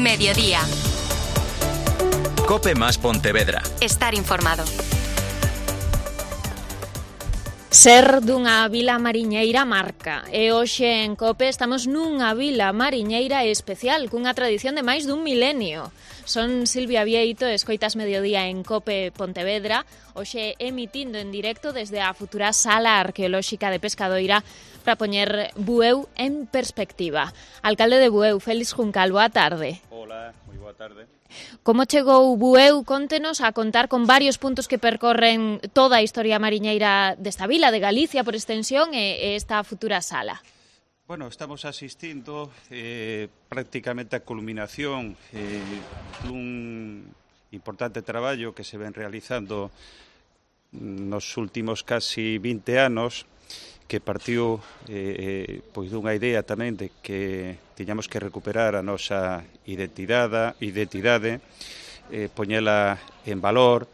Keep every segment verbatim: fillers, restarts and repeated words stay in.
Mediodía. Cope más Pontevedra. Estar informado. Ser dunha vila mariñeira marca e hoxe en Cope estamos nunha vila mariñeira especial cunha tradición de máis dun milenio. Son Silvia Vieito, escoitas Mediodía en Cope Pontevedra, hoxe emitindo en directo desde a futura Sala Arqueolóxica de Pescadoira para poñer Bueu en perspectiva. Alcalde de Bueu, Félix Juncal, boa tarde. Hola, moi boa tarde. Como chegou Bueu? Contenos a contar con varios puntos que percorren toda a historia mariñeira desta vila, de Galicia por extensión, e esta futura sala. Bueno, estamos asistindo eh, prácticamente a culminación eh, dun importante traballo que se ven realizando nos últimos casi vinte anos, que partiu eh, pois dunha idea tamén de que tiñamos que recuperar a nosa identidade, identidade eh, poñela en valor.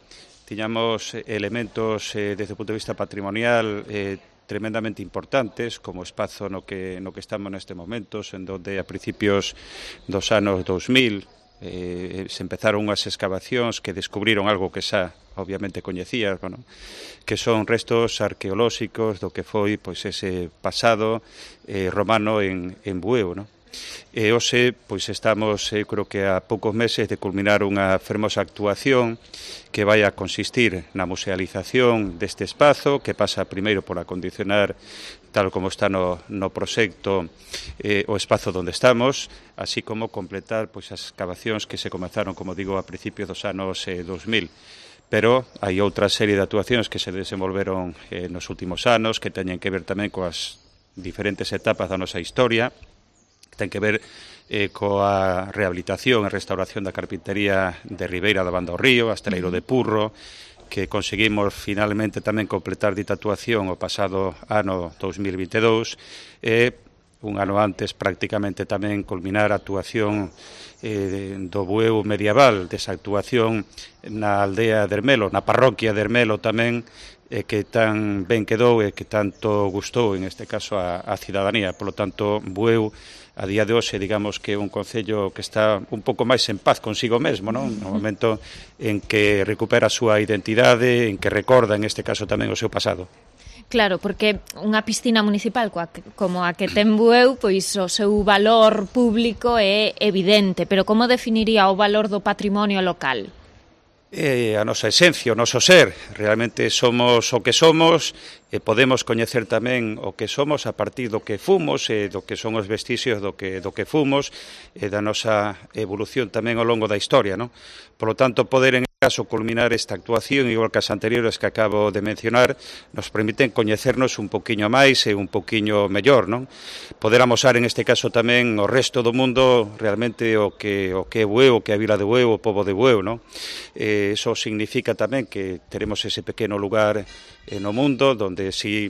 Tiñamos elementos eh, desde o punto de vista patrimonial eh, tremendamente importantes, como o espazo no que, no que estamos neste momento, en donde a principios dos anos dous mil eh, se empezaron unhas excavacións que descubriron algo que xa obviamente coñecías, bueno, que son restos arqueolóxicos do que foi pois ese pasado eh, romano en, en Bueu, non? E hoxe pois estamos, eu creo que a poucos meses de culminar unha fermosa actuación que vai a consistir na musealización deste espazo, que pasa primeiro por acondicionar, tal como está no, no proxecto, eh, o espazo onde estamos, así como completar pois as excavacións que se comezaron, como digo, a principios dos anos eh, dos mil. Pero hai outra serie de actuacións que se desenvolveron eh, nos últimos anos, que teñen que ver tamén coas diferentes etapas da nosa historia, que ten que ver eh, coa rehabilitación e restauración da carpintería de Ribeira da Banda ao Río, Asteleiro de Purro, que conseguimos finalmente tamén completar dita actuación o pasado ano dous mil vinte e dous, e un ano antes prácticamente tamén culminar a actuación eh, do Bueu medieval, desa actuación na aldea de Ermelo, na parroquia de Ermelo tamén, eh, que tan ben quedou e que tanto gustou, en este caso, a, a cidadanía. Por lo tanto, Bueu, a día de hoxe, digamos que é un concello que está un pouco máis en paz consigo mesmo, non? No momento en que recupera a súa identidade, en que recorda, en este caso, tamén o seu pasado. Claro, porque unha piscina municipal coa, como a que ten Bueu, pois o seu valor público é evidente, pero como definiría o valor do patrimonio local? É a nosa esencia, o noso ser. Realmente somos o que somos e podemos coñecer tamén o que somos a partir do que fomos e do que son os vestixios do que, do que fomos e da nosa evolución tamén ao longo da historia, non? Por lo tanto, poder en caso culminar esta actuación, igual que as anteriores que acabo de mencionar, nos permiten coñecernos un poquinho máis e un poquinho mellor, non? Poder amosar en este caso tamén o resto do mundo realmente o que o que é Bueu, o que é a vila de Bueu, o pobo de Bueu, non? Eh, eso significa tamén que teremos ese pequeno lugar eh, no mundo donde si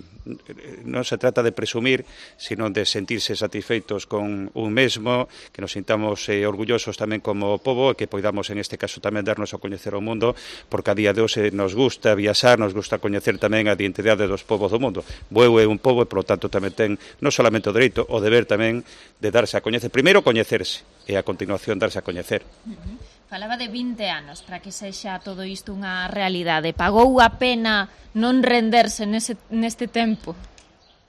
non se trata de presumir, sino de sentirse satisfeitos con un mesmo, que nos sintamos eh, orgullosos tamén como pobo e que poidamos en este caso tamén darnos a coñecer o mundo, porque a día de hoxe nos gusta viaxar, nos gusta coñecer tamén a identidade dos povos do mundo. Bueu é un pobo e, polo tanto, tamén ten non solamente o dereito, o deber tamén de darse a coñecer. Primeiro, coñecerse, e a continuación darse a coñecer. Uh-huh. Falaba de vinte anos para que sexa todo isto unha realidade. Pagou a pena non renderse nese, neste tempo?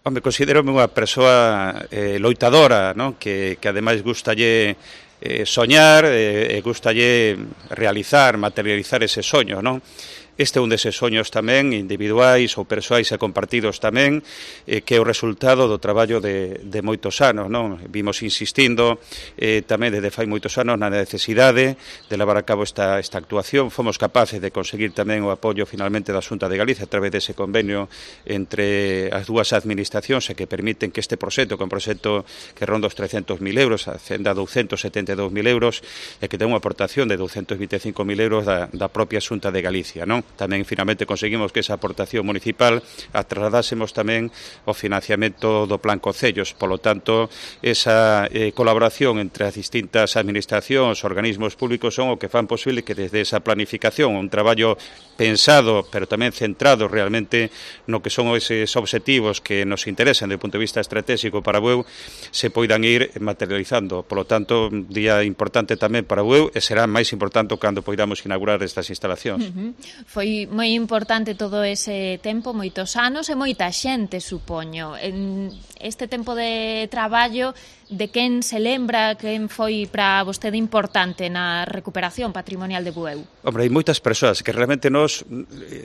Home, considero unha persoa eh, loitadora, non? Que, que ademais gustalle eh, soñar e eh, gustalle realizar, materializar ese soño, non? Este é un deses soños tamén individuais ou persoais e compartidos tamén, eh, que é o resultado do traballo de, de moitos anos, non? Vimos insistindo eh, tamén desde fai moitos anos na necesidade de levar a cabo esta, esta actuación. Fomos capaces de conseguir tamén o apoio finalmente da Xunta de Galicia a través dese convenio entre as dúas administracións e que permiten que este proxecto, que é un proxecto que ronda os trescentos mil euros, ascenda a douscentos setenta e dous mil euros, e que ten unha aportación de douscentos vinte e cinco mil euros da, da propia Xunta de Galicia, non? tamén finalmente conseguimos que esa aportación municipal a trasladásemos tamén o financiamento do Plan Concellos. Polo tanto, esa eh, colaboración entre as distintas administracións, organismos públicos son o que fan posible que desde esa planificación, un traballo pensado, pero tamén centrado realmente no que son eses obxectivos que nos interesan desde o punto de vista estratégico para Bueu, se poidan ir materializando. Polo tanto, un día importante tamén para Bueu e será máis importante cando poidamos inaugurar estas instalacións. Uh -huh. Foi moi importante todo ese tempo, moitos anos e moita xente, supoño. En este tempo de traballo, de quen se lembra, quen foi para vostede importante na recuperación patrimonial de Bueu? Hombre, hai moitas persoas que realmente nos,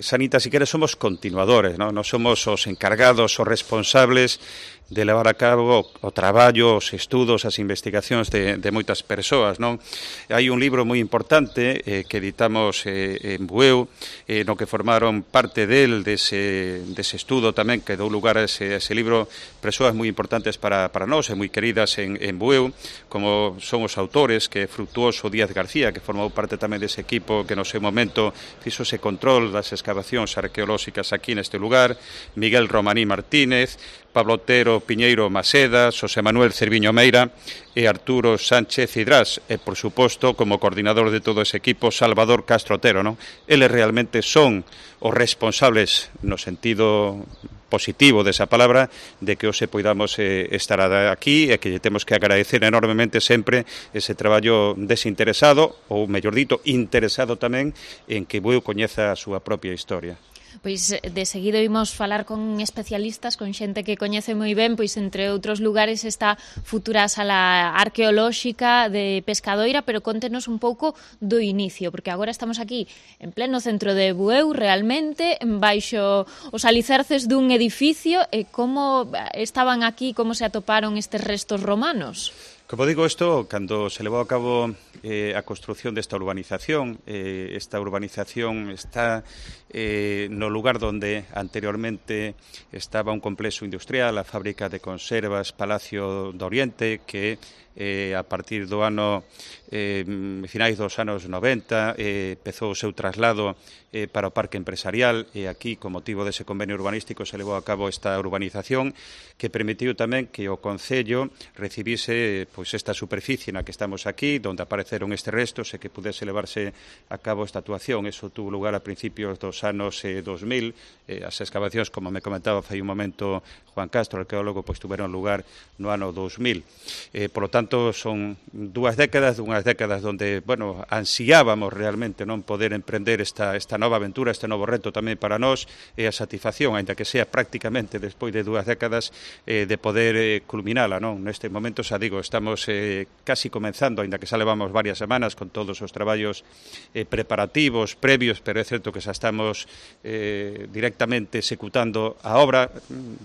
Sanita, si queres, somos continuadores, non? Nos somos os encargados, os responsables de levar a cabo o traballo, os estudos, as investigacións de, de moitas persoas, non? Hai un libro moi importante eh, que editamos eh, en Bueu, eh, no que formaron parte del, dese, dese estudo tamén, que dou lugar a ese, a ese libro, persoas moi importantes para, para nós e moi queridas en, en Bueu, como son os autores, que é Frutuoso Díaz García, que formou parte tamén dese equipo que no seu momento fixo ese control das excavacións arqueolóxicas aquí neste lugar, Miguel Romaní Martínez, Pablo Otero Piñeiro Maseda, Xosé Manuel Cerviño Meira e Arturo Sánchez Cidrás e, por suposto, como coordinador de todo ese equipo, Salvador Castro Otero, non? Eles realmente son os responsables, no sentido positivo desa palabra, de que hoxe poidamos eh, estar aquí e que lle temos que agradecer enormemente sempre ese traballo desinteresado, ou, mellor dito, interesado tamén en que Bueu coñeza a súa propia historia. Pois de seguido imos falar con especialistas, con xente que coñece moi ben, pois entre outros lugares esta futura sala arqueolóxica de Pescadoira, pero contenos un pouco do inicio, porque agora estamos aquí en pleno centro de Bueu, realmente, baixo os alicerces dun edificio, e como estaban aquí, como se atoparon estes restos romanos? Como digo, isto, cando se levou a cabo eh, a construción desta urbanización, eh, esta urbanización está eh, no lugar donde anteriormente estaba un complexo industrial, a fábrica de conservas Palacio do Oriente, que eh, a partir do ano eh, finais dos anos noventa eh, empezou o seu traslado eh, para o parque empresarial, e aquí, con motivo dese convenio urbanístico, se levou a cabo esta urbanización que permitiu tamén que o Concello recibise pois esta superficie na que estamos aquí, onde apareceron estes restos, e que pudese levarse a cabo esta actuación. Eso tuvo lugar a principios dos anos eh, dos mil. Eh, as excavacións, como me comentaba fai un momento Juan Castro, arqueólogo, pois tuveron lugar no ano dos mil. Eh, por lo tanto, son dúas décadas, unhas décadas onde, bueno, ansiábamos realmente non poder emprender esta, esta nova aventura, este novo reto tamén para nós, e a satisfacción, aínda que sea prácticamente despois de dúas décadas, eh, de poder eh, culminala, non? Neste momento, xa digo, estamos eh, casi comenzando, aínda que xa levamos varias semanas con todos os traballos eh, preparativos, previos, pero é certo que xa estamos eh, directamente executando a obra.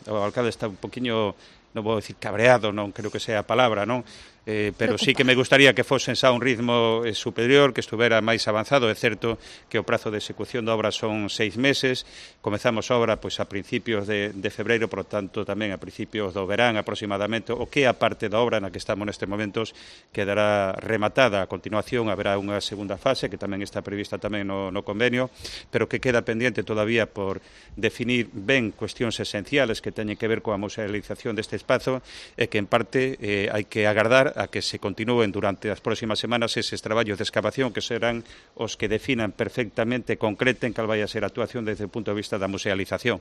O alcalde está un poquinho, non vou dicir cabreado, non creo que sea a palabra, non? Eh, pero sí que me gustaría que fosen xa un ritmo eh, superior, que estuvera máis avanzado. É certo que o prazo de execución da obra son seis meses, comezamos a obra pois a principios de, de febreiro, por tanto tamén a principios do verán aproximadamente, o que a parte da obra na que estamos nestes momentos quedará rematada. A continuación haberá unha segunda fase que tamén está prevista tamén no, no convenio, pero que queda pendiente todavía por definir ben cuestións esenciales que teñen que ver coa musealización deste espazo, e que en parte eh, hai que agardar a que se continúen durante as próximas semanas eses traballos de excavación que serán os que definan perfectamente, concreten cal vai a ser a actuación desde o punto de vista da musealización.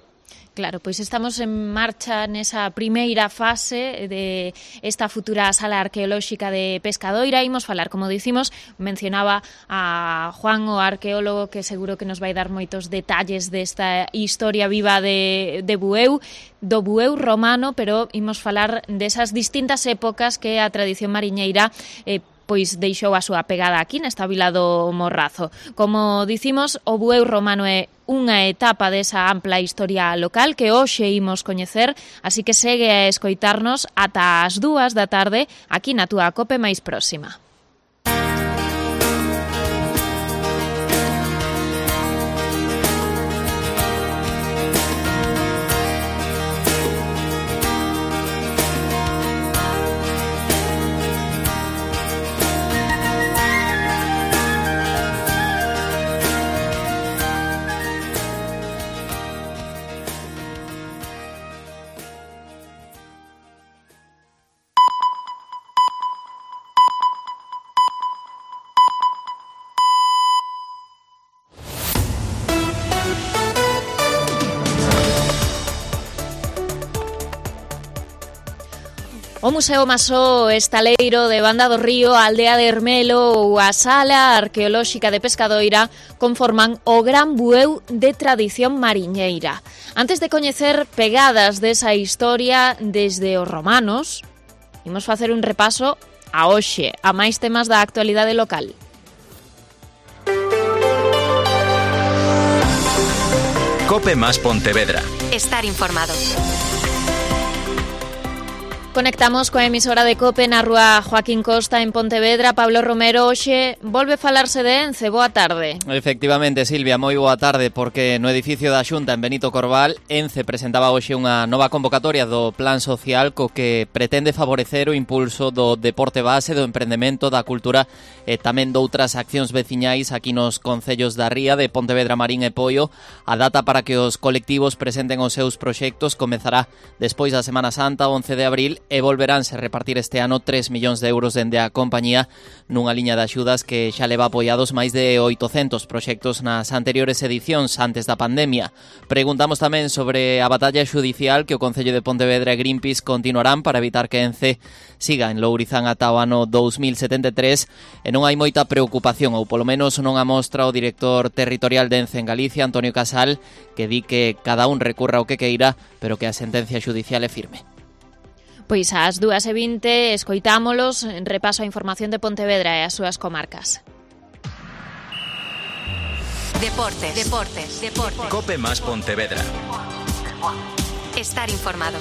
Claro, pois estamos en marcha nesa primeira fase de esta futura sala arqueolóxica de Pescadoira. Imos falar, como dicimos, mencionaba a Juan, o arqueólogo, que seguro que nos vai dar moitos detalles desta historia viva de, de Bueu, do Bueu romano, pero imos falar desas distintas épocas que a tradición mariñeira eh, pois deixou a súa pegada aquí nesta vila do Morrazo. Como dicimos, o Bueu romano é unha etapa desa ampla historia local que hoxe imos coñecer, así que segue a escoitarnos ata as dúas da tarde aquí na túa Cope máis próxima. O Museo Masó Estaleiro de Banda do Río, a Aldea de Ermelo ou a Sala Arqueolóxica de Pescadoira conforman o gran bueu de tradición mariñeira. Antes de coñecer pegadas desa historia desde os romanos, imos facer un repaso a hoxe, a máis temas da actualidade local. Cope más Pontevedra. Estar informado. Conectamos coa emisora de Cope na rúa Joaquín Costa en Pontevedra. Pablo Romero, hoxe volve falarse de Ence. Boa tarde. Efectivamente, Silvia, moi boa tarde, porque no edificio da Xunta en Benito Corval, Ence presentaba hoxe unha nova convocatoria do Plan Social co que pretende favorecer o impulso do deporte base, do emprendemento, da cultura e tamén doutras accións veciñais aquí nos concellos da Ría, de Pontevedra, Marín e Poio. A data para que os colectivos presenten os seus proxectos comezará despois da Semana Santa, once de abril, e volveránse repartir este ano tres millóns de euros dende a compañía nunha liña de axudas que xa leva apoiados máis de oitocentos proxectos nas anteriores edicións antes da pandemia. Preguntamos tamén sobre a batalla xudicial que o Concello de Pontevedra e Greenpeace continuarán para evitar que Ence siga en Lourizán ata o ano dous mil setenta e tres, e non hai moita preocupación, ou polo menos non a mostra o director territorial de Ence en Galicia, Antonio Casal, que di que cada un recurra o que queira, pero que a sentencia xudicial é firme. Pois ás dúas e vinte escoitámolos en repaso a información de Pontevedra e as súas comarcas. Deportes, deportes, deportes. Cope más Pontevedra. Estar informado.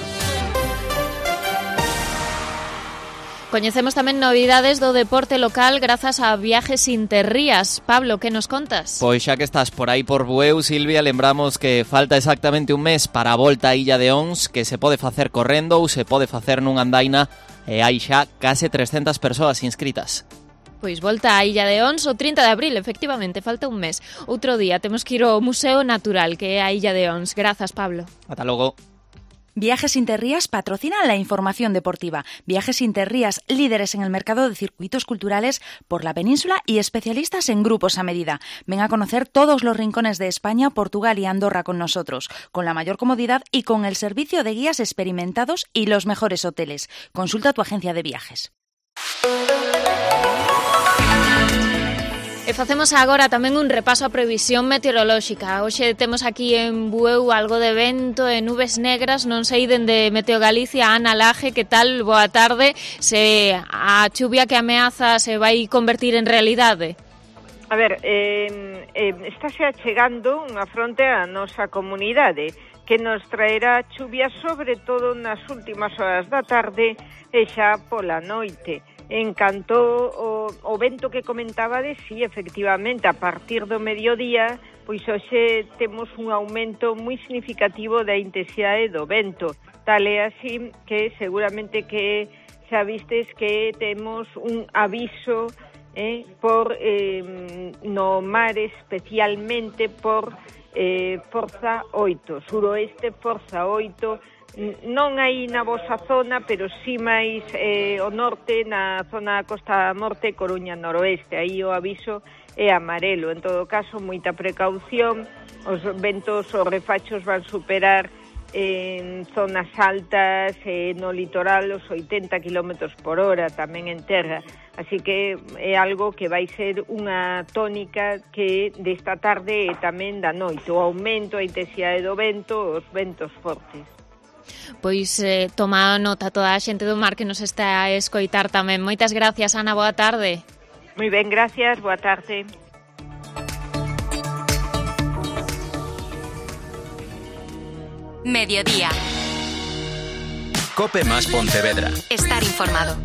Coñecemos tamén novidades do deporte local grazas a Viajes Interrías. Pablo, que nos contas? Pois xa que estás por aí por Bueu, Silvia, lembramos que falta exactamente un mes para a volta a Illa de Ons, que se pode facer correndo ou se pode facer nunha andaina, e hai xa case trescentas persoas inscritas. Pois volta a Illa de Ons o trinta de abril, efectivamente, falta un mes. Outro día temos que ir ao Museo Natural, que é a Illa de Ons. Grazas, Pablo. Ata logo. Viajes Interrías patrocinan la información deportiva. Viajes Interrías, líderes en el mercado de circuitos culturales por la península y especialistas en grupos a medida. Ven a conocer todos los rincones de España, Portugal y Andorra con nosotros, con la mayor comodidad y con el servicio de guías experimentados y los mejores hoteles. Consulta tu agencia de viajes. E facemos agora tamén un repaso á previsión meteorolóxica. Hoxe temos aquí en Bueu algo de vento e nubes negras, non sei dende Meteo Galicia. Ana Laje, que tal? Boa tarde. Se a chuvia que ameaza se vai convertir en realidade? A ver, eh, eh, estáse achegando unha fronte á nosa comunidade que nos traerá chuvia sobre todo nas últimas horas da tarde e xa pola noite. En canto o, o vento que comentaba de sí, efectivamente, a partir do mediodía, pois hoxe temos un aumento moi significativo da intensidade do vento. Tal é así que seguramente que xa vistes que temos un aviso eh, por eh, no mar, especialmente por eh, forza oito, suroeste forza oito, non aí na vosa zona, pero sí máis eh, o norte, na zona Costa Morte, Coruña noroeste. Aí o aviso é amarelo. En todo caso, moita precaución. Os ventos, os refachos van superar en zonas altas, eh, no litoral, os oitenta kilómetros por hora, tamén en terra. Así que é algo que vai ser unha tónica que desta tarde e tamén da noite. O aumento, a intensidade do vento, os ventos fortes. Pois eh, toma nota toda a xente do mar que nos está a escoitar tamén. Moitas gracias, Ana, boa tarde. Moi ben, gracias, boa tarde. Mediodía. Cope más Pontevedra. Estar informado.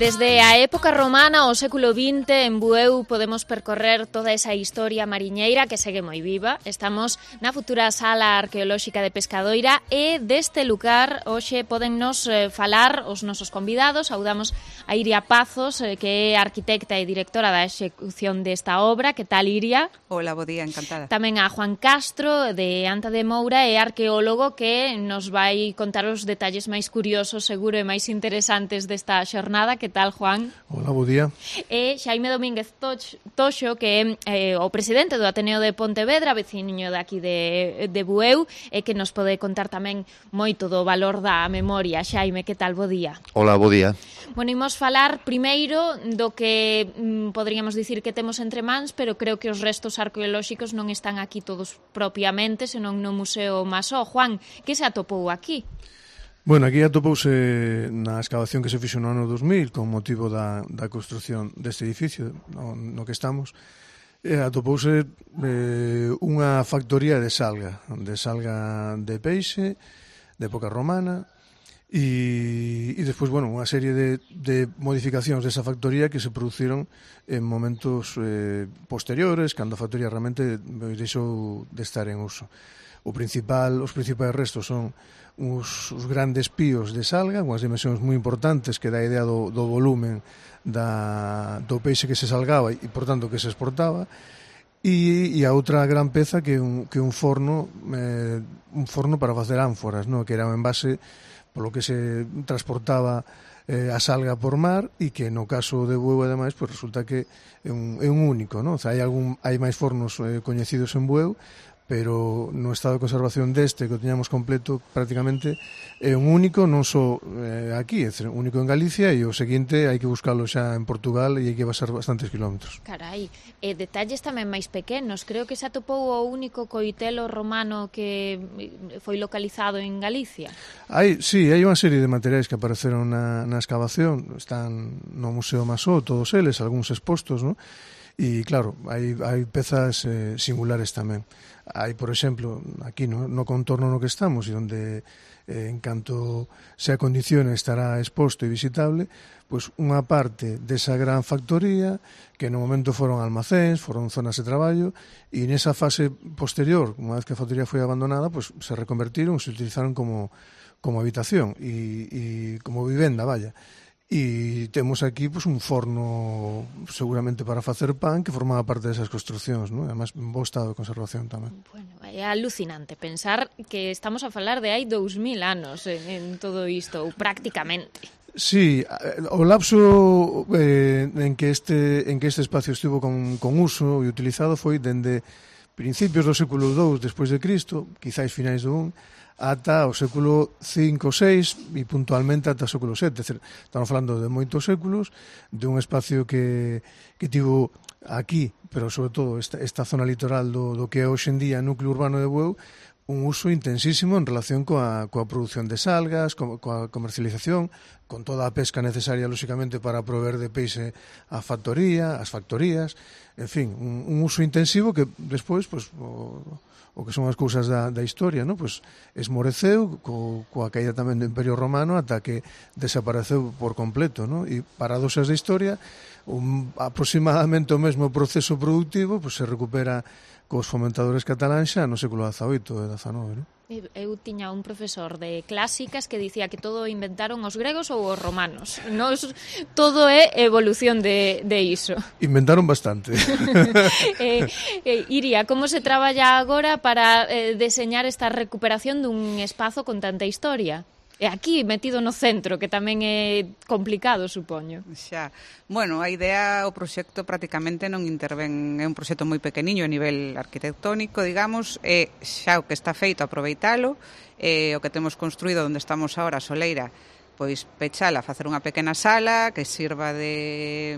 Desde a época romana ao século vinte en Bueu podemos percorrer toda esa historia mariñeira que segue moi viva. Estamos na futura Sala Arqueolóxica de Pescadoira e deste lugar hoxe podennos eh, falar os nosos convidados. Saudamos a Iria Pazos, eh, que é arquitecta e directora da execución desta obra. Que tal, Iria? Hola, bo día, encantada. Tamén a Juan Castro, de Anta de Moura, e arqueólogo, que nos vai contar os detalles máis curiosos, seguro, e máis interesantes desta xornada. Que tal, Juan? Hola, bo día. E Xaime Domínguez Toxo, que é eh, o presidente do Ateneo de Pontevedra, veciño de aquí de, de Bueu, e que nos pode contar tamén moito do valor da memoria. Xaime, que tal? Bo día. Hola, bo día. Bueno, imos falar primeiro do que mm, poderíamos dicir que temos entre mans, pero creo que os restos arqueolóxicos non están aquí todos propiamente, senón no Museo Masó. Juan, que se atopou aquí? Bueno, aquí atopouse na excavación que se fixo no ano dos mil con motivo da, da construción deste edificio no, no que estamos. E atopouse eh, unha factoría de salga, de salga de peixe, de época romana, e, e despois, bueno, unha serie de, de modificacións desa factoría que se produciron en momentos eh, posteriores, cando a factoría realmente deixou de estar en uso. O principal, os principais restos son uns, os grandes píos de salga, unhas dimensións moi importantes que dá idea do, do volumen da, do peixe que se salgaba e, por tanto, que se exportaba, e, e a outra gran peza que un, que un forno eh, un forno para facer ánforas, no? Que era un envase polo que se transportaba eh, a salga por mar e que no caso de Bueu, ademais, pues resulta que é un, é un único, no? O sea, hai, algún, hai máis fornos eh, coñecidos en Bueu, pero no estado de conservación deste, que o tiñamos completo prácticamente, é un único, non só eh, aquí, é un único en Galicia, e o seguinte hai que buscalo xa en Portugal e hai que pasar bastantes kilómetros. Carai, e detalles tamén máis pequenos. Creo que se atopou o único coitelo romano que foi localizado en Galicia. Hai, sí, hai unha serie de materiais que apareceron na, na excavación, están no Museo Masó, todos eles, algúns expostos, non? E claro, hai, hai pezas eh, singulares tamén. Hai, por exemplo, aquí no, no contorno no que estamos e onde eh, en canto se acondicione estará exposto e visitable, pois unha parte desa gran factoría que no momento foron almacéns, foron zonas de traballo, e nesa fase posterior, unha vez que a factoría foi abandonada, pois se reconvertiron, se utilizaron como, como habitación e, e como vivenda, vaya. E temos aquí pues, un forno seguramente para facer pan que formaba parte desas construcións, ¿no? Además, en bo estado de conservación tamén. Bueno, é alucinante pensar que estamos a falar de hai dous mil anos en, en todo isto, ou prácticamente. Sí, o lapso eh, en que este en que este espacio estivo con, con uso e utilizado foi dende principios do século dous despois de Cristo, quizáis finais do un, ata o século cinco ou seis e puntualmente ata o século sete. Estamos falando de moitos séculos, de un espacio que, que tivo aquí, pero sobre todo esta, esta zona litoral do, do que é hoxe en día núcleo urbano de Bueu, un uso intensísimo en relación coa, coa produción de salgas, co, coa comercialización, con toda a pesca necesaria, lóxicamente, para proveer de peixe a factoría, as factorías, en fin, un, un uso intensivo que despois, pues, o, o que son as cousas da, da historia, ¿no? Pues esmoreceu co, coa caída tamén do Imperio Romano ata que desapareceu por completo, ¿no? E paradoxas da historia, un, aproximadamente o mesmo proceso productivo pues, se recupera cos fomentadores cataláns xa no século dezaoito e dezanove, ¿no? Eu tiña un profesor de clásicas que dicía que todo inventaron os gregos ou os romanos. Nos, todo é evolución de, de iso. Inventaron bastante. eh, eh, Iria, como se traballa agora para eh, deseñar esta recuperación dun espazo con tanta historia? E aquí, metido no centro, que tamén é complicado, supoño. Xa. Bueno, a idea, o proxecto prácticamente non interven, é un proxecto moi pequeniño a nivel arquitectónico, digamos, e xa o que está feito aproveitalo, e o que temos construído onde estamos agora, a Soleira, pois pechala, facer unha pequena sala que sirva de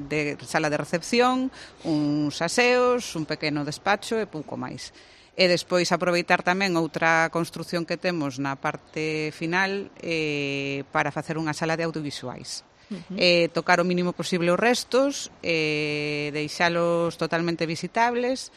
de sala de recepción, uns aseos, un pequeno despacho e pouco máis. E despois aproveitar tamén outra construción que temos na parte final eh, para facer unha sala de audiovisuais. Uh-huh. Eh, tocar o mínimo posible os restos, eh, deixalos totalmente visitables.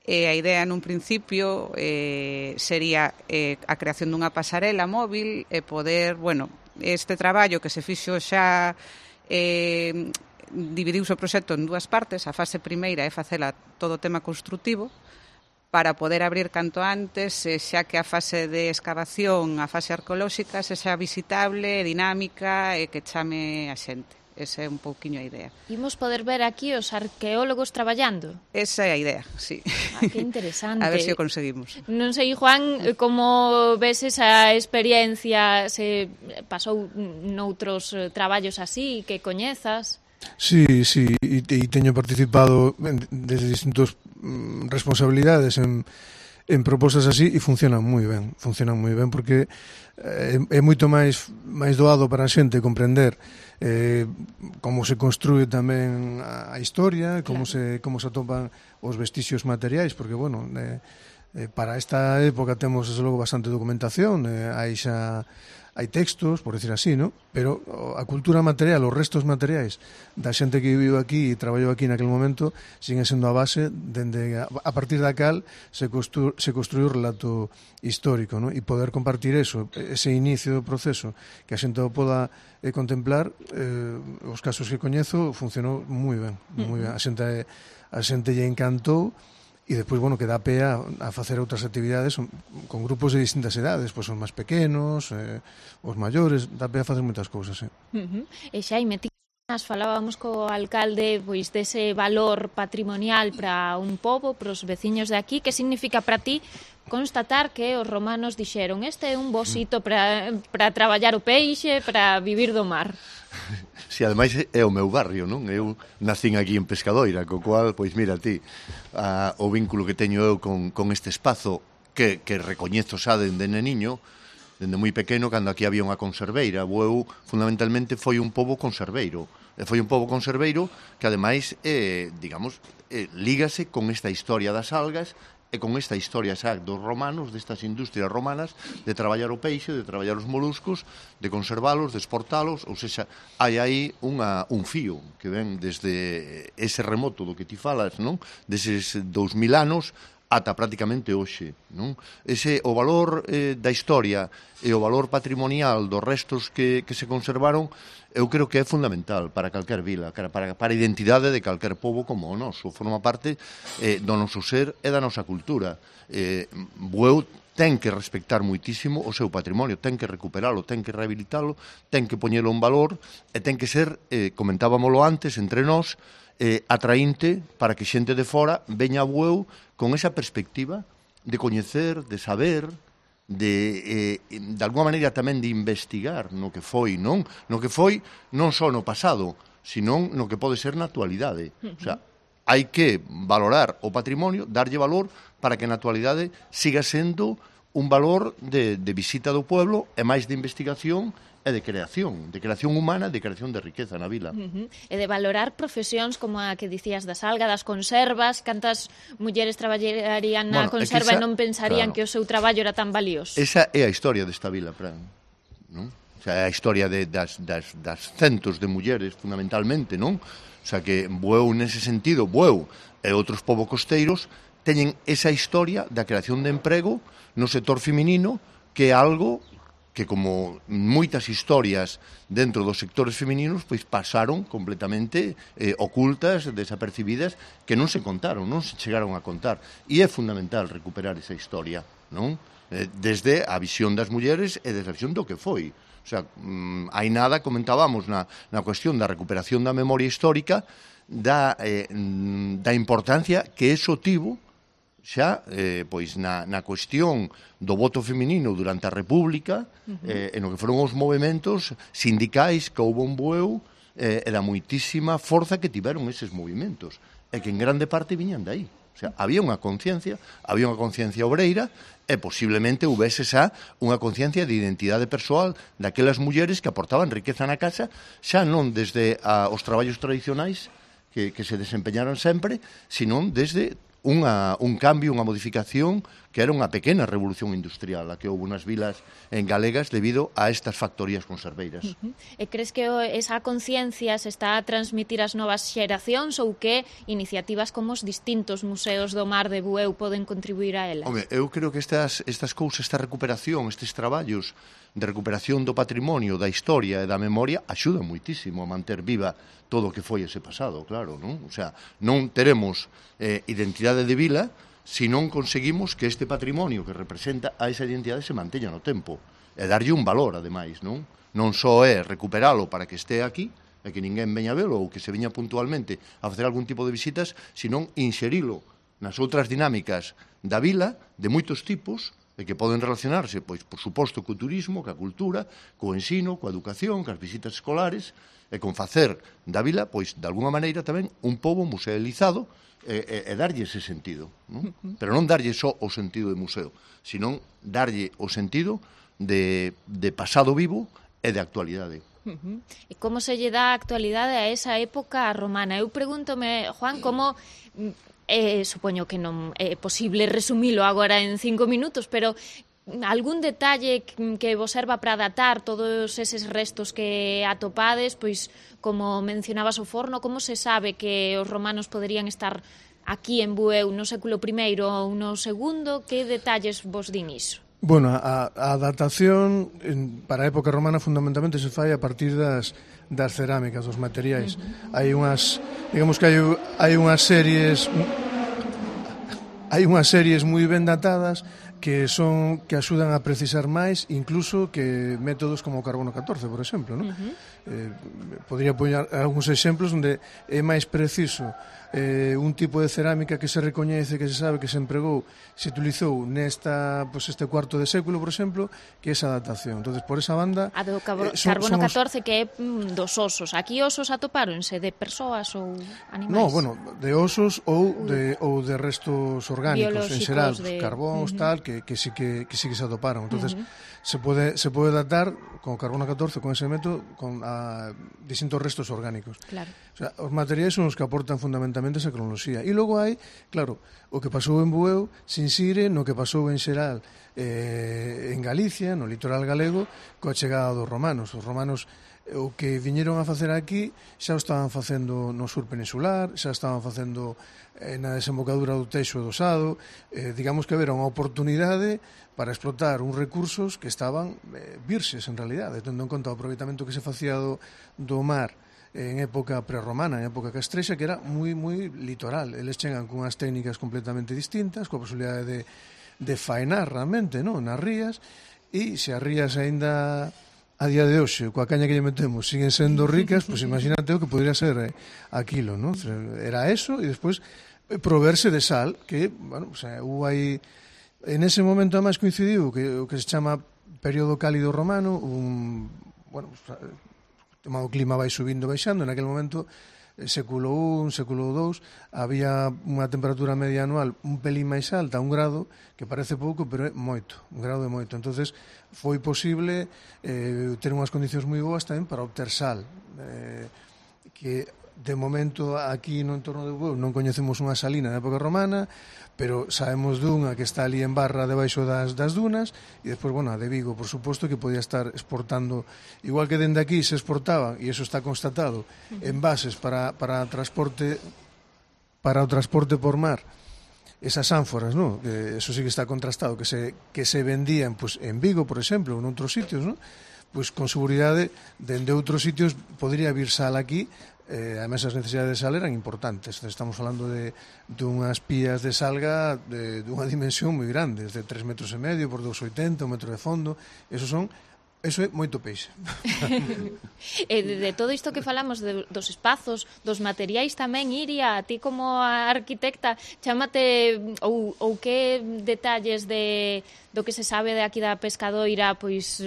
E a idea nun principio eh, sería eh, a creación dunha pasarela móvil e poder, bueno, este traballo que se fixo xa eh, dividiuse o proxecto en dúas partes. A fase primeira é facela todo o tema construtivo, para poder abrir canto antes, xa que a fase de excavación, a fase arqueolóxica, se xa visitable, dinámica e que chame a xente. Esa é un pouquiño a idea. Imos poder ver aquí os arqueólogos traballando? Esa é a idea, sí. Ah, que interesante. A ver se o conseguimos. Non sei, Juan, como ves esa experiencia, se pasou noutros traballos así, que coñezas? Sí, sí, e, e teño participado en, desde distintos mm, responsabilidades en, en propostas así e funcionan moi ben, funcionan moi ben porque é, é moito máis máis doado para a xente comprender eh, como se construe tamén a, a historia, como claro. se como se atopan os vestixios materiais, porque bueno, eh, eh, para esta época temos desde logo bastante documentación, eh, hai xa hai textos, por decir así, ¿no? Pero a cultura material, os restos materiais da xente que viviu aquí e traballou aquí naquele momento siguen sendo a base dende a, a partir da cal se, constru, se construiu o relato histórico, ¿no? E poder compartir eso, ese inicio do proceso, que a xente o poda eh, contemplar, eh, os casos que coñezo funcionou moi ben, moi ben. A xente, a xente lle encantou. E despois, bueno, que dá pé a, a facer outras actividades con grupos de distintas edades, pois os máis pequenos, eh, os maiores, dá pé a facer moitas cousas, eh. Uh -huh. E Xaime, ti falábamos co alcalde pois dese valor patrimonial para un pobo, para os veciños de aquí. Que significa para ti constatar que os romanos dixeron este é un bo sito para, para traballar o peixe, para vivir do mar? Si, ademais é o meu barrio, non? Eu nacín aquí en Pescadoira, co cual, pois mira ti, a, o vínculo que teño eu con, con este espazo que, que recoñezo xa dende neniño, dende moi pequeno, cando aquí había unha conserveira. Eu, fundamentalmente, foi un pobo conserveiro. E foi un pobo conserveiro que, ademais, eh, digamos, eh, lígase con esta historia das algas e con esta historia xa dos romanos, destas industrias romanas, de traballar o peixe, de traballar os moluscos, de conservalos, de exportalos, ou seja, hai aí unha, un fío que ven desde ese remoto do que ti falas, non? Deses dous mil anos ata prácticamente hoxe, non? Ese, o valor eh, da historia e o valor patrimonial dos restos que, que se conservaron, eu creo que é fundamental para calquer vila, para, para a identidade de calquer pobo como o noso. Forma parte eh, do noso ser e da nosa cultura. Eh, Bueu ten que respectar moitísimo o seu patrimonio, ten que recuperalo, ten que rehabilitalo, ten que poñelo en valor e ten que ser, eh, comentábamolo antes, entre nós, eh, atraínte para que xente de fora veña a Bueu con esa perspectiva de coñecer, de saber, de, eh, de alguma maneira tamén de investigar no que foi, non? No que foi non só no pasado, senón no que pode ser na actualidade. Uh -huh. O sea, hai que valorar o patrimonio, darlle valor para que na actualidade siga sendo un valor de, de visita do pueblo e máis de investigación e de creación, de creación humana, de creación de riqueza na vila. Uh -huh. E de valorar profesións como a que dicías da salga, das conservas, cantas mulleres traballarían na bueno, conserva esa, e non pensarían claro, que o seu traballo era tan valioso. Esa é a historia desta vila, Fran, non? O sea, é a historia de, das, das, das centos de mulleres, fundamentalmente, non? O sea, que Bueu, nese sentido, Bueu e outros povos costeiros teñen esa historia da creación de emprego no sector feminino, que é algo que, como moitas historias dentro dos sectores femininos, pois pasaron completamente eh, ocultas, desapercibidas, que non se contaron, non se chegaron a contar. E é fundamental recuperar esa historia, non? Eh, desde a visión das mulleres e desde a visión do que foi. O sea, mmm, hai nada, comentábamos na, na cuestión da recuperación da memoria histórica, da, eh, da importancia que eso tivo xa, eh, pois, na, na cuestión do voto feminino durante a República, uh -huh. eh, en o que foron os movimentos sindicais que houve en Bueu, eh, e da moitísima forza que tiveron eses movimentos, e que en grande parte viñan de aí. O sea, había unha conciencia, había unha conciencia obreira, e posiblemente houvese xa unha conciencia de identidade persoal daquelas mulleres que aportaban riqueza na casa, xa non desde a, os traballos tradicionais que, que se desempeñaron sempre, senón desde Unha, un cambio, unha modificación que era unha pequena revolución industrial a que houve nas vilas en galegas debido a estas factorías conserveiras. Uh -huh. E crees que esa conciencia se está a transmitir ás novas xeracións ou que iniciativas como os distintos museos do mar de Bueu poden contribuir a ela? Home, eu creo que estas, estas cousas, esta recuperación, estes traballos de recuperación do patrimonio, da historia e da memoria axudan moitísimo a manter viva todo o que foi ese pasado, claro, non? O sea, non teremos eh, identidade de vila se non conseguimos que este patrimonio que representa a esa identidade se manteña no tempo e darlle un valor, ademais, non? Non só é recuperalo para que este aquí, e que ninguén veña a velo ou que se veña puntualmente a facer algún tipo de visitas, senón inserilo nas outras dinámicas da vila de moitos tipos e que poden relacionarse, pois, por suposto, co turismo, coa cultura, co ensino, coa educación, coas visitas escolares e con facer da vila, pois, de alguna maneira tamén un pobo musealizado e, e, e darlle ese sentido, non? Pero non darlle só o sentido de museo, senón darlle o sentido de, de pasado vivo e de actualidade. Uh-huh. E como se lle dá a actualidade a esa época romana? Eu pregúntome, Juan, como... Eh, supoño que non é posible resumilo agora en cinco minutos, pero algún detalle que vos serva para datar todos eses restos que atopades, pois como mencionabas o forno, como se sabe que os romanos poderían estar aquí en Bueu no século primeiro ou no segundo? Que detalles vos din iso? Bueno, a, a datación en, para a época romana fundamentalmente se fai a partir das, das cerámicas, dos materiais. Uh-huh. Hai unhas, digamos que hai, hai unhas series hai unhas series moi ben datadas que son que axudan a precisar máis incluso que métodos como o carbono catorce, por exemplo, ¿no? Uh-huh. eh, podría poñer algúns exemplos onde é máis preciso eh, un tipo de cerámica que se recoñece, que se sabe que se empregou, se utilizou nesta, pues, este cuarto de século, por exemplo, que esa adaptación. Entonces, por esa banda... A do cabo, eh, son, carbono somos... catorce que é mm, dos osos. Aquí osos atopáronse de persoas ou animais? No, bueno, de osos ou de, ou de restos orgánicos, en xeral, de... carbóns, uh-huh. tal, que, que, sí que, que sí que se atoparon. Entonces, uh-huh. se pode se pode datar con carbono catorce, con ese método, con a, distintos restos orgánicos. Claro. O sea, os materiais son os que aportan fundamentalmente esa cronoloxía. E logo hai, claro, o que pasou en Bueu se insire no que pasou en xeral eh, en Galicia, no litoral galego, coa chegada dos romanos. Os romanos o que viñeron a facer aquí xa o estaban facendo no sur peninsular, xa estaban facendo eh, na desembocadura do Teixo e do Sado. Eh, digamos que era unha oportunidade para explotar uns recursos que estaban eh, virxes, en realidade, tendo en conta o aproveitamento que se facía do, do mar en época prerromana, en época castrexa, que era moi, moi litoral. Eles chegan con unhas técnicas completamente distintas, coa posibilidade de, de faenar realmente, non, nas rías, e se as rías aínda a día de hoxe, coa caña que lle metemos, siguen sendo ricas, pois pues imagínate o que podría ser eh, aquilo, non? Era eso, e despois eh, proverse de sal, que, bueno, o sea, hubo aí, en ese momento además coincidiu que o que se chama período cálido romano, un, bueno, o clima vai subindo, baixando, en aquel momento, século un, século dous, había unha temperatura media anual un pelín máis alta, un grado, que parece pouco, pero é moito, un grado é moito. Entonces foi posible eh, ter unhas condicións moi boas tamén para obter sal, eh, que de momento aquí no entorno de Bueu non coñecemos unha salina da época romana, pero sabemos dunha que está ali en Barra debaixo das, das dunas, e despois, bueno, a de Vigo, por suposto, que podía estar exportando, igual que dende aquí se exportaban, e eso está constatado, envases para, para transporte para o transporte por mar, esas ánforas, ¿no? Que eso sí que está contrastado, que se, que se vendían pues, en Vigo, por exemplo, en outros sitios, ¿no? Pois con seguridade, dende outros sitios podría vir sal aquí. Eh, además as necesidades de sal eran importantes. Estamos falando de, de unhas pías de salga de, de unha dimensión moi grande, de tres metros e medio por dos oitenta, un metro de fondo. Eso son Eso é moito peixe. E de, de todo isto que falamos de, dos espazos, dos materiais tamén, Iria, a ti como a arquitecta, chámate ou, ou que detalles de, do que se sabe de aquí da Pescadoira pois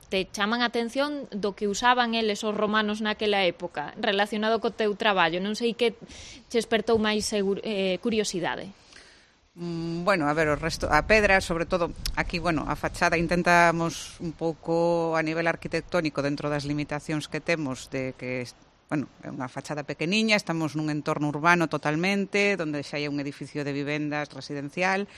te chaman a atención do que usaban eles os romanos naquela época relacionado co teu traballo? Non sei que che espertou máis seguro, eh, curiosidade. Bueno, a ver, o resto, a pedra, sobre todo, aquí, bueno, a fachada intentamos un pouco a nivel arquitectónico dentro das limitacións que temos de que, bueno, é unha fachada pequeniña, estamos nun entorno urbano totalmente, onde xa hai un edificio de vivendas residencial,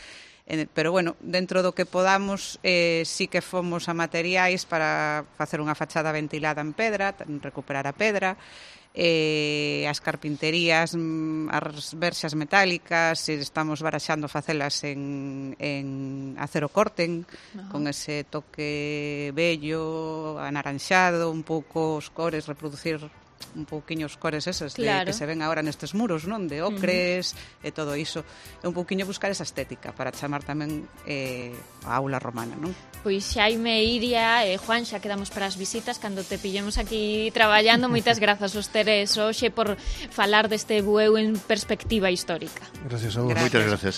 pero, bueno, dentro do que podamos, eh, sí que fomos a materiais para facer unha fachada ventilada en pedra, recuperar a pedra, eh, as carpinterías, as verxas metálicas, estamos baraxando facelas en, en acero corten, uh-huh. con ese toque bello, anaranxado, un pouco os cores, reproducir un pouquiño os cores eses Claro. de, que se ven agora nestes muros, non? De ocres uh-huh. e todo iso. É un pouquiño buscar esa estética para chamar tamén eh, a aula romana, non? Pois Xaime, Iria e Juan, xa quedamos para as visitas cando te pillemos aquí traballando. Moitas grazas aos teres hoxe por falar deste Bueu en perspectiva histórica. Gracias a vos. Gracias. Moitas gracias.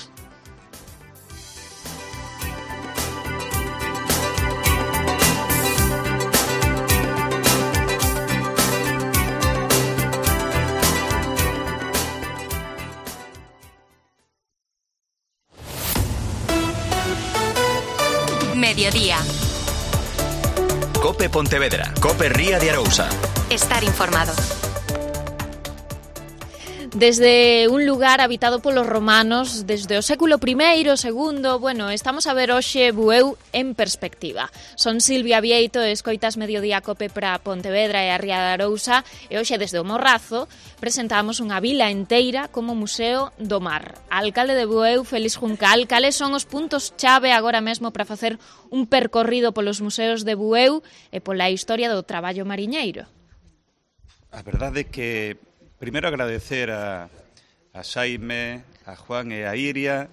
Mediodía. Cope Pontevedra. Cope Ría de Arousa. Estar informado. Desde un lugar habitado polos romanos desde o século primeiro, segundo, bueno, estamos a ver hoxe Bueu en perspectiva. Son Silvia Vieito e escoitas Mediodía Cope para Pontevedra e a Ría de Arousa e hoxe desde o Morrazo presentamos unha vila enteira como Museo do Mar. Alcalde de Bueu, Félix Juncal, cales son os puntos chave agora mesmo para facer un percorrido polos museos de Bueu e pola historia do traballo mariñeiro? A verdade é que primeiro agradecer a, a Xaime, a Juan e a Iria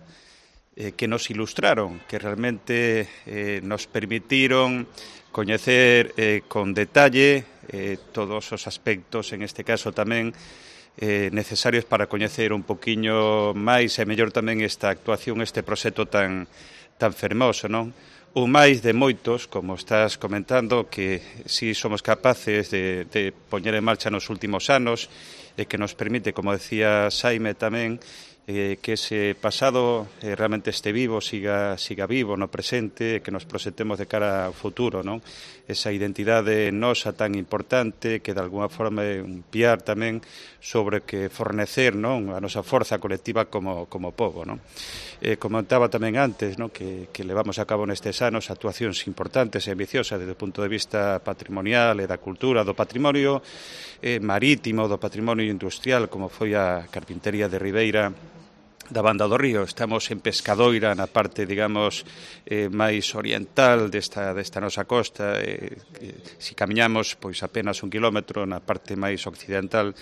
eh, que nos ilustraron, que realmente eh, nos permitiron coñecer eh, con detalle eh, todos os aspectos, en este caso tamén eh, necesarios para coñecer un poquiño máis e mellor tamén esta actuación, este proxecto tan, tan fermoso, non? Un máis de moitos, como estás comentando, que si somos capaces de, de poñer en marcha nos últimos anos e que nos permite, como decía Xaime tamén, eh, que ese pasado eh, realmente este vivo, siga, siga vivo no presente, que nos proxetemos de cara ao futuro, non? Esa identidade nosa tan importante que de alguna forma é un piar tamén sobre que fornecer, non? A nosa forza colectiva como, como povo, non? Eh, comentaba tamén antes, non? Que, que levamos a cabo nestes anos actuacións importantes e ambiciosas desde o punto de vista patrimonial e da cultura, do patrimonio eh, marítimo, do patrimonio industrial, como foi a Carpintería de Ribeira da Banda do Río. Estamos en Pescadoira, na parte, digamos, eh, máis oriental desta, desta nosa costa. Eh, eh, si camiñamos, pois apenas un kilómetro, na parte máis occidental,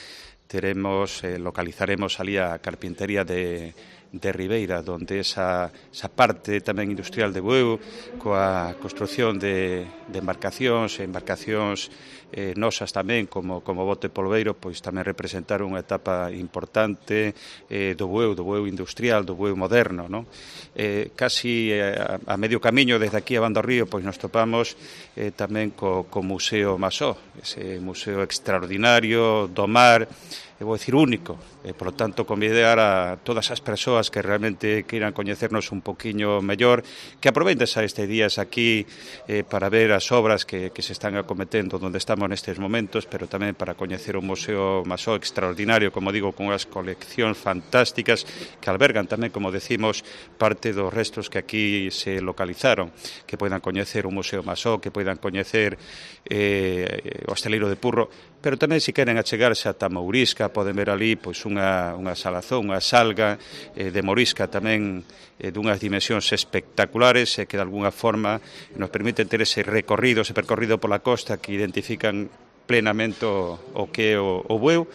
teremos, eh, localizaremos ali a Carpintería de de Ribeira, donde esa, esa parte tamén industrial de Bueu, coa construción de, de embarcacións, embarcacións eh, nosas tamén, como, como bote polveiro, pois tamén representaron unha etapa importante eh, do Bueu, do Bueu industrial, do Bueu moderno, non? Eh, casi eh, a, a medio camiño desde aquí a Banda do Río, pois nos topamos eh, tamén co, co Museo Masó, ese museo extraordinario do mar, eu vou dicir único, e, por lo tanto, convidar a todas as persoas que realmente queiran coñecernos un poquinho mellor, que aproveiten a este días aquí eh, para ver as obras que, que se están acometendo onde estamos nestes momentos, pero tamén para coñecer un museo Masó extraordinario, como digo, con unhas coleccións fantásticas que albergan tamén, como decimos, parte dos restos que aquí se localizaron, que poidan coñecer un museo Masó, que poidan coñecer eh, o Hosteleiro de Purro, pero tamén se queren achegarse ata Mourisca, poden ver ali pois unha, unha salazón, unha salga eh, de morisca tamén eh, dunhas dimensións espectaculares e eh, que de alguna forma nos permiten ter ese recorrido, ese percorrido pola costa que identifican plenamente o, o que é o, o Bueu,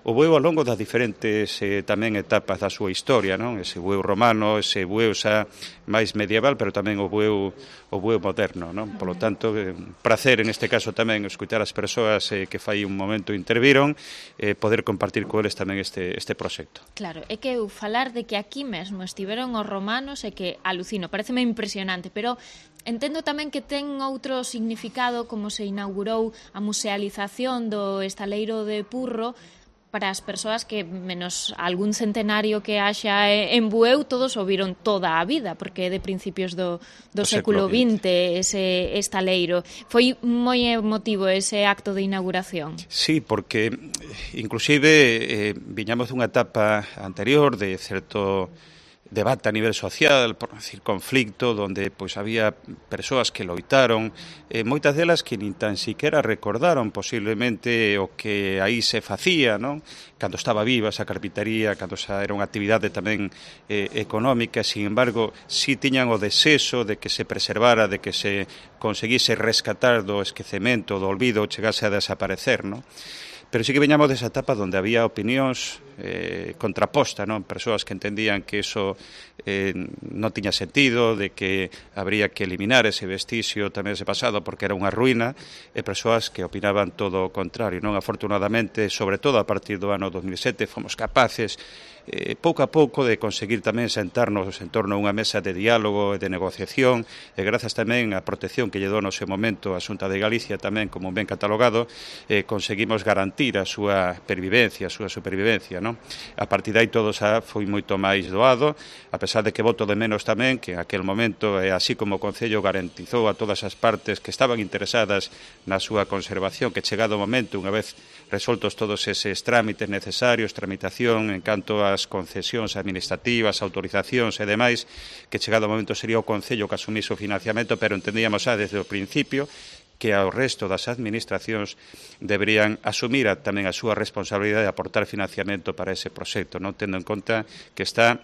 o Bueu ao longo das diferentes eh, tamén etapas da súa historia, non? Ese Bueu romano, ese Bueu xa máis medieval, pero tamén o Bueu o Bueu moderno, non? Por lo tanto, eh, prazer en este caso tamén escutar as persoas eh, que fai un momento interviron, eh, poder compartir con eles tamén este este proxecto. Claro, é que eu falar de que aquí mesmo estiveron os romanos é que alucino, pareceme impresionante, pero entendo tamén que ten outro significado como se inaugurou a musealización do estaleiro de Purro para as persoas que, menos algún centenario que haxa en Bueu, todos o viron toda a vida, porque é de principios do, do século vinte ese estaleiro. Foi moi emotivo ese acto de inauguración. Sí, porque inclusive eh, viñamos dunha etapa anterior de certo debate a nivel social, por decir conflicto, donde pois había persoas que loitaron, eh, moitas delas que nin tan siquiera recordaron posiblemente o que aí se facía, non? Cando estaba viva esa carpintería, cando esa era unha actividade tamén eh, económica, sin embargo, si tiñan o desexo de que se preservara, de que se conseguise rescatar do esquecemento, do olvido, chegase a desaparecer, non? pero sí que veñamos desa etapa onde había opinións eh, contraposta, non? Persoas que entendían que eso eh, non tiña sentido, de que habría que eliminar ese vestigio tamén ese pasado porque era unha ruína, e persoas que opinaban todo o contrario, non? Afortunadamente, sobre todo a partir do ano dos mil sete, fomos capaces Eh, pouco a pouco de conseguir tamén sentarnos en torno a unha mesa de diálogo e de negociación, e grazas tamén á protección que lle dou no seu momento a Xunta de Galicia tamén como ben catalogado, eh, conseguimos garantir a súa pervivencia, a súa supervivencia, non? A partir de aí todo xa foi moito máis doado, a pesar de que voto de menos tamén que en aquel momento, e así como o Concello garantizou a todas as partes que estaban interesadas na súa conservación, que chegado o momento, unha vez resoltos todos eses trámites necesarios, tramitación en canto ás concesións administrativas, autorizacións e demais, que chegado o momento sería o Concello que asumise o financiamento, pero entendíamos xa desde o principio que ao resto das administracións deberían asumir a, tamén a súa responsabilidade de aportar financiamento para ese proxecto, non tendo en conta que está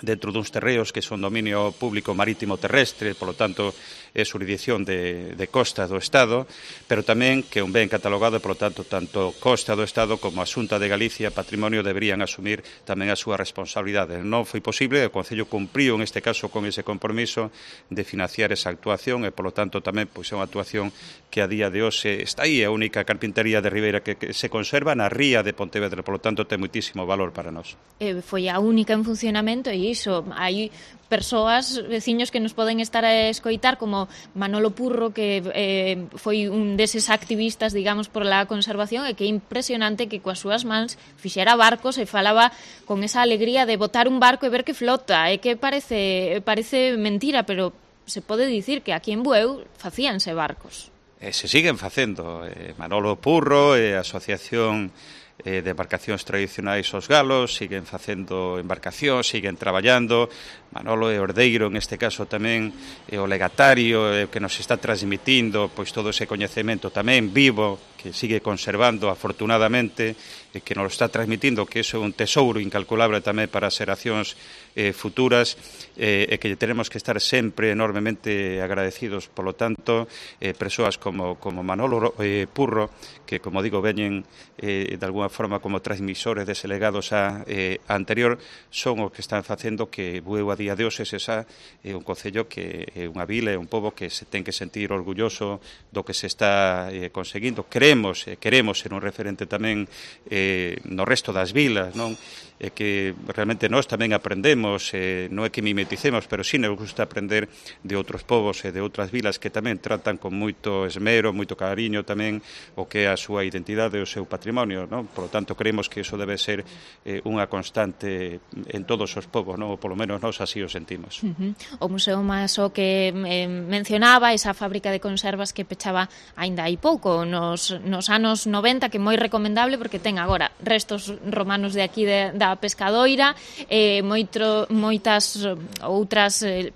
dentro duns terreos que son dominio público marítimo terrestre, polo tanto é xurisdicción de, de costa do Estado, pero tamén que un ben catalogado e, polo tanto, tanto costa do Estado como a Xunta de Galicia Patrimonio deberían asumir tamén a súa responsabilidade. Non foi posible, o Concello cumpriu en este caso con ese compromiso de financiar esa actuación e, polo tanto, tamén pois, é unha actuación que a día de hoxe está aí, a única carpintería de Ribeira que, que se conserva na ría de Pontevedra, polo tanto, ten moitísimo valor para nós. Eh, foi a única en funcionamento e iso, hai persoas, veciños que nos poden estar a escoitar como Manolo Purro, que eh, foi un deses activistas, digamos, por la conservación, e que é impresionante que coas súas mans fixera barcos e falaba con esa alegría de botar un barco e ver que flota, e que parece parece mentira, pero se pode dicir que aquí en Bueu facíanse barcos. E se siguen facendo. Eh, Manolo Purro e a Asociación eh, de Embarcacións Tradicionais Os Galos siguen facendo embarcacións, siguen traballando. Manolo e Ordeiro, en este caso tamén, é o legatario eh, que nos está transmitindo pois todo ese coñecemento tamén vivo, que sigue conservando afortunadamente, e que nos está transmitindo que iso é un tesouro incalculable tamén para as xeracións eh, futuras, eh, e que tenemos que estar sempre enormemente agradecidos. Polo tanto, eh, persoas como, como Manolo eh, Purro, que, como digo, veñen eh, de alguna forma como transmisores dese legado xa eh, anterior, son os que están facendo que Bueu a día de hoxe se xa é un concello que é unha vila, é un pobo que se ten que sentir orgulloso do que se está eh, conseguindo. Creemos, eh, queremos ser un referente tamén eh, no resto das vilas, non? E que realmente nós tamén aprendemos, eh, non é que mimeticemos, pero sí nos gusta aprender de outros povos e de outras vilas que tamén tratan con moito esmero, moito cariño tamén o que é a súa identidade e o seu patrimonio, non? Por lo tanto, creemos que iso debe ser eh, unha constante en todos os povos, non? Ou polo menos nós así o sentimos. Uh-huh. O Museo Maso que eh, mencionaba, esa fábrica de conservas que pechaba aínda hai pouco, nos, nos anos noventa, que é moi recomendable porque ten agora restos romanos de aquí de, da Pescadoira, eh, moito, moitas outras eh,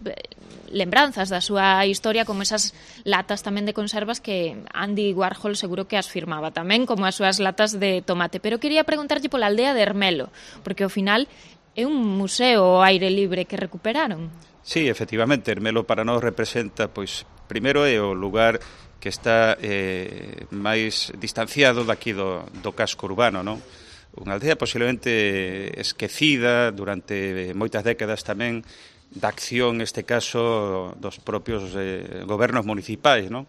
lembranzas da súa historia, como esas latas tamén de conservas que Andy Warhol seguro que as firmaba tamén, como as súas latas de tomate. Pero quería preguntarlle pola aldea de Ermelo, porque ao final é un museo ao aire libre que recuperaron. Sí, efectivamente, Ermelo para nós representa, pois, primeiro é o lugar que está eh, máis distanciado daqui do, do casco urbano, non? Unha aldea posiblemente esquecida durante moitas décadas tamén da acción, neste caso, dos propios eh, gobernos municipais, non?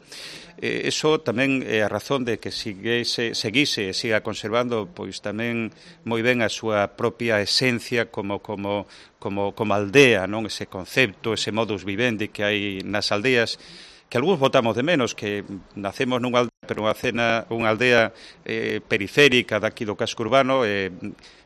Eh, eso tamén é a razón de que seguise, seguise e siga conservando pois tamén moi ben a súa propia esencia como, como, como, como aldea, non? Ese concepto, ese modus vivendi que hai nas aldeas, que algúns votamos de menos, que nacemos nunha aldea, pero unha, cena, unha aldea eh, periférica daqui do casco urbano, eh,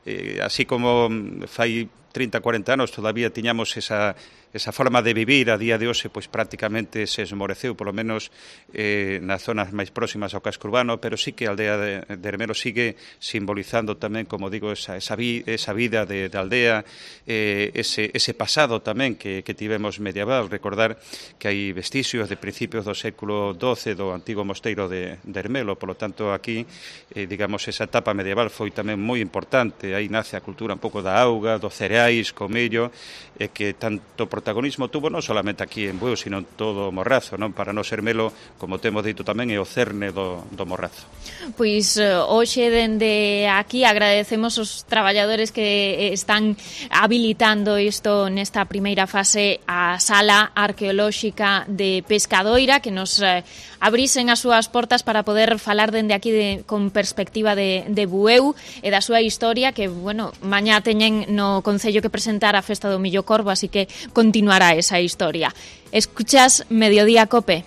eh, así como fai trinta, cuarenta anos todavía tiñamos esa, esa forma de vivir, a día de hoxe pois prácticamente se esmoreceu, polo menos eh, nas zonas máis próximas ao casco urbano, pero sí que a aldea de, de Ermelo sigue simbolizando tamén, como digo, esa, esa, vi, esa vida de, de aldea, eh, ese, ese pasado tamén que, que tivemos medieval. Recordar que hai vestixios de principios do século doce do antigo mosteiro de de, de Ermelo, polo tanto aquí, eh, digamos, esa etapa medieval foi tamén moi importante, aí nace a cultura un pouco da auga, dos cereais, co millo, e que tanto protagonismo tuvo non solamente aquí en Bueu, sino en todo o Morrazo, non? Para nos Ermelo, como temos dito tamén, é o cerne do, do Morrazo. Pois hoxe dende aquí agradecemos os traballadores que están habilitando isto nesta primeira fase, a Sala Arqueolóxica de Pescadoira, que nos eh, abrisen as súas portas para poder falar dende aquí de, con perspectiva de, de Bueu e da súa historia, que, bueno, mañá teñen no Concello que presentar a Festa do Millo Corvo, así que continuará esa historia. Escuchas Mediodía Cope.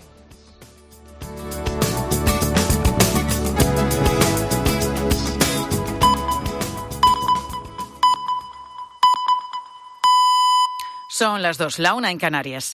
Son las dos, la una en Canarias.